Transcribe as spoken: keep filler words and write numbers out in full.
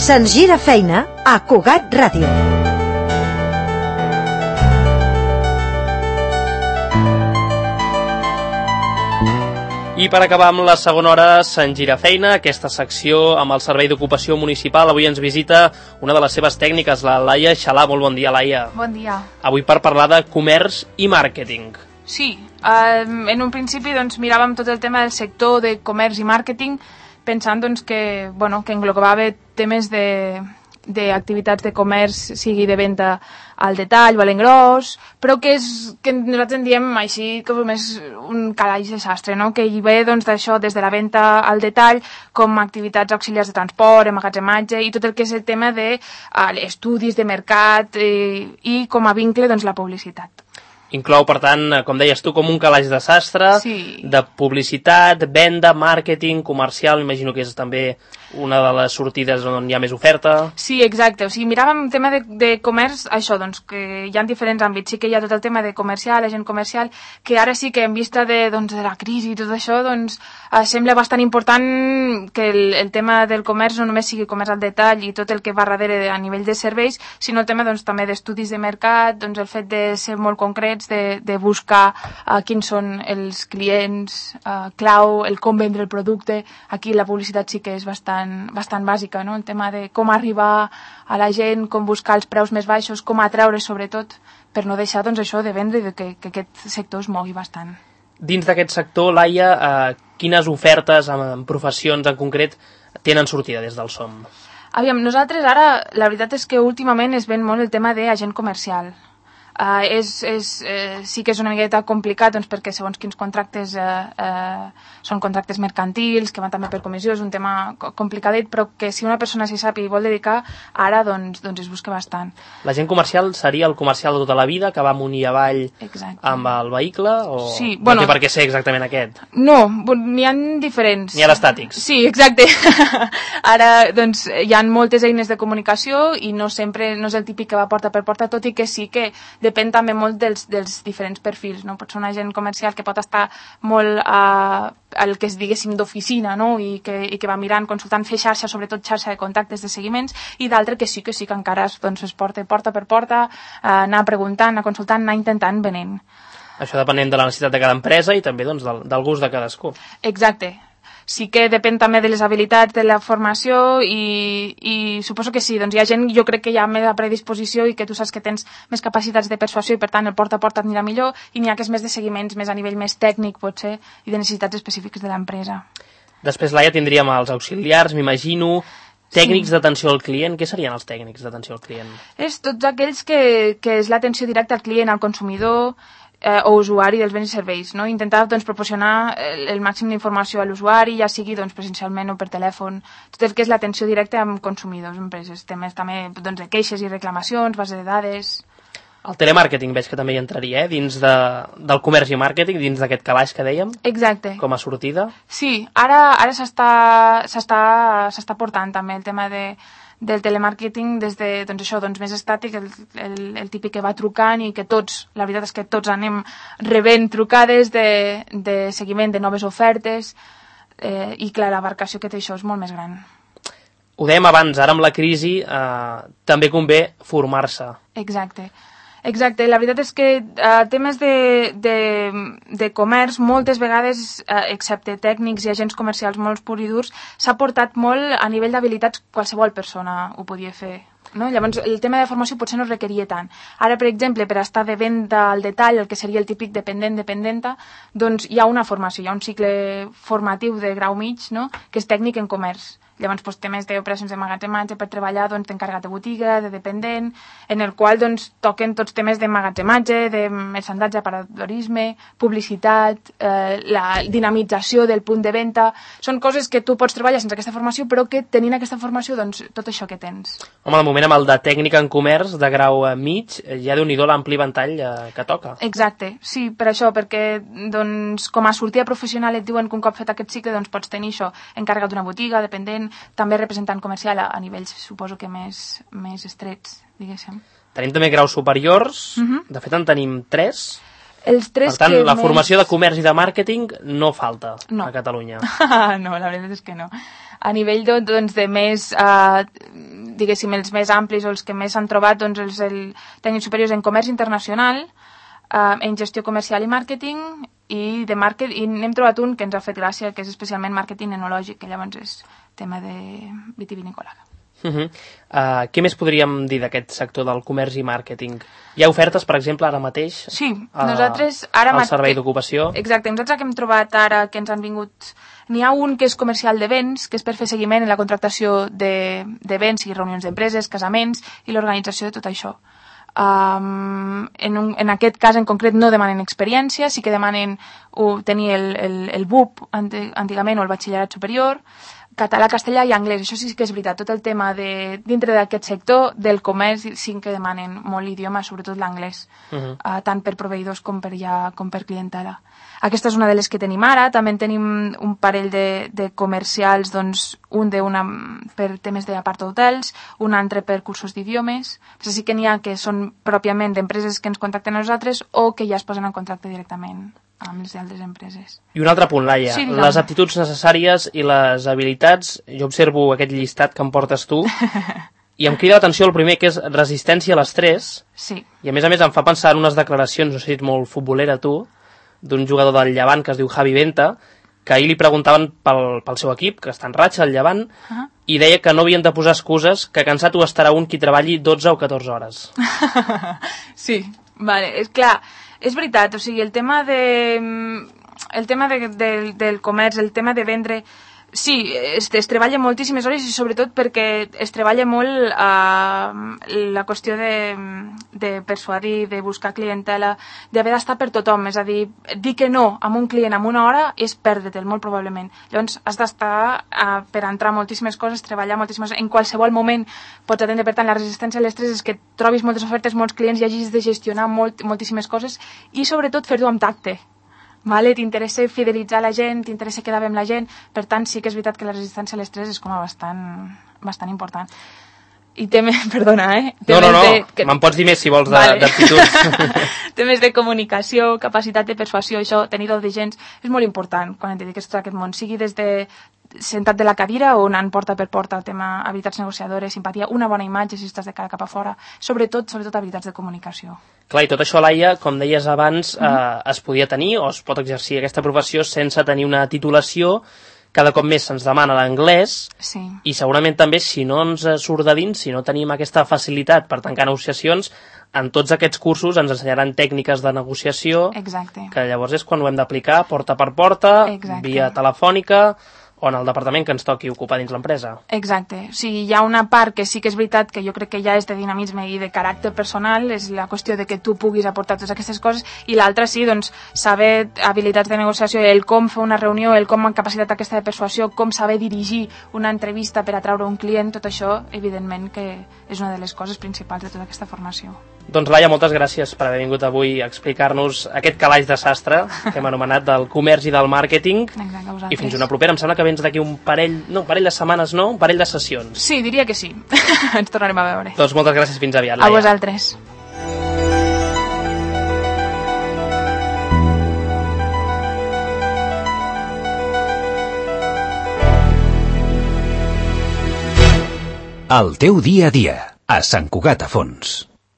Se'ns gira feina a Cugat Ràdio. I per acabar amb la segona hora, se'n gira feina, aquesta secció amb el Servei d'Ocupació Municipal. Avui ens visita una de les seves tècniques, la Laia Xalà. Molt bon dia, Laia. Bon dia. Avui per parlar de comerç i màrqueting. Sí, eh, en un principi doncs, miràvem tot el tema del sector de comerç i màrqueting, pensant doncs, que, bueno, que englobava temes de d'activitats de comerç, sigui de venda al detall o a l'engròs, però que, és, que nosaltres en diem així com és un calaix de sastre, no? Que hi ve doncs, d'això des de la venda al detall com activitats auxiliars de transport, emmagatzematge i tot el que és el tema d'estudis de, uh, de mercat eh, i com a vincle doncs, la publicitat. Inclou, per tant, com deies tu, com un calaix de sastre, sí. De publicitat, venda, màrqueting, comercial, imagino que és també una de les sortides on hi ha més oferta. Sí, exacte. O sigui, miràvem el tema de, de comerç, això, doncs, que hi ha diferents àmbits. Sí que hi ha tot el tema de comercial, agent comercial, que ara sí que en vista de, doncs, de la crisi i tot això, doncs, eh, sembla bastant important que el, el tema del comerç no només sigui comerç al detall i tot el que va darrere a nivell de serveis, sinó el tema, doncs, també d'estudis de mercat, doncs, el fet de ser molt concrets, de, de buscar uh, quins són els clients uh, clau, el com vendre el producte. Aquí la publicitat sí que és bastant, bastant bàsica, no? El tema de com arribar a la gent, com buscar els preus més baixos, com atraure sobretot, per no deixar doncs, això de vendre i de que, que aquest sector es mogui bastant. Dins d'aquest sector, Laia, eh, quines ofertes en, en professions en concret tenen sortida des del S O M? Aviam, nosaltres ara, la veritat és que últimament es ven molt el tema d'agent comercial. Uh, és, és, eh, sí que és una miqueta complicat doncs, perquè segons quins contractes eh, eh, són contractes mercantils que van també per comissió, és un tema complicadet, però que si una persona s'hi sap i vol dedicar ara doncs, doncs es busca bastant. L'agent comercial seria el comercial de tota la vida que va amunt i avall Exacte. Amb el vehicle o sí, no bueno, té per què ser exactament aquest? No, n'hi ha diferents. N'hi ha d'estàtics. Sí, exacte. Ara doncs, hi ha moltes eines de comunicació i no sempre no és el típic que va porta per porta, tot i que sí que depèn també molt dels, dels diferents perfils, no? Pot ser un agent comercial que pot estar molt a uh, el que es diguéssim d'oficina, no? I, que, i que va mirant, consultant, fer xarxa, sobretot xarxa de contactes, de seguiments, i d'altre que sí que sí que encara es, doncs, es porta porta per porta, uh, anar preguntant, anar consultant, anar intentant venent. Això depenent de la necessitat de cada empresa i també doncs, del, del gust de cadascú. Exacte. Sí que depèn també de les habilitats, de la formació i, i suposo que sí, doncs hi ha gent, jo crec que hi ha més predisposició i que tu saps que tens més capacitats de persuasió i per tant el porta a porta et anirà millor i n'hi ha que és més de seguiments, més a nivell més tècnic potser i de necessitats específiques de l'empresa. Després, Laia, tindríem els auxiliars, m'imagino, tècnics sí. D'atenció al client. Què serien els tècnics d'atenció al client? És tots aquells que, que és l'atenció directa al client, al consumidor, Eh, o usuari dels béns i serveis, no? Intentar doncs, proporcionar el, el màxim d'informació a l'usuari, ja sigui doncs, presencialment o per telèfon, tot el que és l'atenció directa amb consumidors, empreses, temes també doncs, de queixes i reclamacions, base de dades. El telemàrqueting veig que també hi entraria, eh? Dins de, del comerç i màrqueting, dins d'aquest calaix que dèiem. Exacte. Com a sortida. Sí, ara, ara s'està, s'està, s'està portant també el tema de del telemàrqueting des de, doncs això, doncs més estàtic, el, el, el típic que va trucant i que tots, la veritat és que tots anem rebent trucades de, de seguiment de noves ofertes eh, i clar, l'abarcació que té això és molt més gran. Ho dèiem abans, ara amb la crisi eh, també convé formar-se. Exacte. Exacte, la veritat és que eh, temes de, de, de comerç moltes vegades, eh, excepte tècnics i agents comercials molt pur i durs, s'ha portat molt a nivell d'habilitats, qualsevol persona ho podia fer. No? Llavors, el tema de formació potser no es requeria tant. Ara, per exemple, per estar de venda al detall, el que seria el típic dependent-dependenta, doncs hi ha una formació, hi ha un cicle formatiu de grau mig, no? Que és tècnic en comerç. Llavors, doncs, temes d'operacions de magatzematge per treballar doncs, d'encarregat de botiga, de dependent, en el qual doncs, toquen tots temes de magatzematge, de merchandatge, aparadorisme, publicitat, eh, la dinamització del punt de venda. Són coses que tu pots treballar sense aquesta formació, però que tenint aquesta formació, doncs, tot això que tens. Home, de moment amb el de tècnica en comerç, de grau mig, ja déu-n'hi-do l'ampli ventall eh, que toca. Exacte, sí, per això, perquè doncs, com a sortida professional et diuen que un cop fet aquest cicle doncs, pots tenir això, encarregat d'una botiga, dependent, també representant comercial a, a nivells, suposo que més, més estrets, diguéssim. Tenim també graus superiors, uh-huh. De fet en tenim tres. Els tres per tant, que la més... formació de comerç i de màrqueting no falta no. a Catalunya. No, la veritat és que no. A nivell de, doncs, de més uh, diguéssim, els més amplis o els que més s'han trobat, doncs els el tècnics superiors en comerç internacional, eh, en gestió comercial i màrqueting, i de màrquet, i n'hem trobat un que ens ha fet gràcia, que és especialment màrqueting enològic, que llavors és tema de vitivinícola. Uh -huh. uh, què més podríem dir d'aquest sector del comerç i màrqueting? Hi ha ofertes, per exemple, ara mateix? Sí, nosaltres ara... Al servei d'ocupació? Exacte, nosaltres que hem trobat ara que ens han vingut... N'hi ha un que és comercial de béns, que és per fer seguiment en la contractació de, de béns i reunions d'empreses, casaments i l'organització de tot això. Um, en, un, en aquest cas en concret no demanen experiència, sí que demanen uh, tenir el, el, el B U P antigament o el batxillerat superior, català, castellà i anglès. Això sí que és veritat, tot el tema de, dintre d'aquest sector del comerç sí que demanen molt l'idioma, sobretot l'anglès, uh -huh. uh, tant per proveïdors com per, ja, com per clientela. Aquesta és una de les que tenim ara. També tenim un parell de, de comercials, doncs, un de una per temes d'apart d'hotels, un altre per cursos d'idiomes. Però sí que n'hi ha que són pròpiament d'empreses que ens contacten a nosaltres o que ja es posen en contacte directament amb les altres empreses. I un altre punt, Laia, sí, les aptituds necessàries i les habilitats. Jo observo aquest llistat que em portes tu i em crida l'atenció el primer, que és resistència a l'estrès. Sí. I a més a més em fa pensar en unes declaracions, no sé si ets molt futbolera tu, d'un jugador del Llevant que es diu Javi Venta, que ahir li preguntaven pel, pel seu equip, que està en ratxa, el Llevant, uh -huh. i deia que no havien de posar excuses, que cansat ho estarà un qui treballi dotze o catorze hores. Sí, vale, és clar, és veritat, o sigui, el tema de el tema de, de, del comerç, el tema de vendre, sí, es, es treballa moltíssimes hores i sobretot perquè es treballa molt eh, la qüestió de, de persuadir, de buscar clientela, d'haver d'estar per tothom, és a dir, dir que no a un client en una hora és perdre'l, molt probablement. Llavors has d'estar eh, per entrar moltíssimes coses, treballar moltíssimes en qualsevol moment pots atendre. Per tant, la resistència a l'estrès és que trobis moltes ofertes, molts clients i hagis de gestionar molt, moltíssimes coses i sobretot fer-ho amb tacte. Vale, t'interessa fidelitzar la gent, t'interessa quedar bé amb la gent, per tant sí que és veritat que la resistència a l'estrès és com a bastant, bastant important. I temes, perdona, eh? Temes no, no, no, que... me'n pots dir més si vols vale. d'aptituds. Temes de comunicació, capacitat de persuasió, això, tenir do de gens, és molt important quan et dediques a aquest món, sigui des de sentat de la cadira o anant porta per porta, el tema habilitats negociadores, simpatia, una bona imatge si estàs de cara cap a fora, sobretot, sobretot habilitats de comunicació. Clar, i tot això, Laia, com deies abans, mm -hmm. eh, es podia tenir o es pot exercir aquesta professió sense tenir una titulació. Cada cop més se'ns demana l'anglès, sí. I segurament també si no ens surt de dins, si no tenim aquesta facilitat per tancar negociacions, en tots aquests cursos ens ensenyaran tècniques de negociació. Exacte. Que llavors és quan ho hem d'aplicar porta per porta, exacte. Via telefònica o en el departament que ens toqui ocupar dins l'empresa. Exacte. O sigui, hi ha una part que sí que és veritat que jo crec que ja és de dinamisme i de caràcter personal, és la qüestió de que tu puguis aportar totes aquestes coses, i l'altra sí, doncs, saber habilitats de negociació, el com fer una reunió, el com amb capacitat aquesta de persuasió, com saber dirigir una entrevista per atraure un client, tot això, evidentment que és una de les coses principals de tota aquesta formació. Doncs, Laia, moltes gràcies per haver vingut avui a explicar-nos aquest calaix de sastre que hem anomenat del comerç i del màrqueting. Exacte, i fins una propera. Em sembla que vens d'aquí un parell, no, un parell de setmanes, no? Un parell de sessions. Sí, diria que sí. Ens tornarem a veure. Doncs moltes gràcies, fins aviat, Laia. A vosaltres. El teu dia a dia, a Sant Cugat a Fons.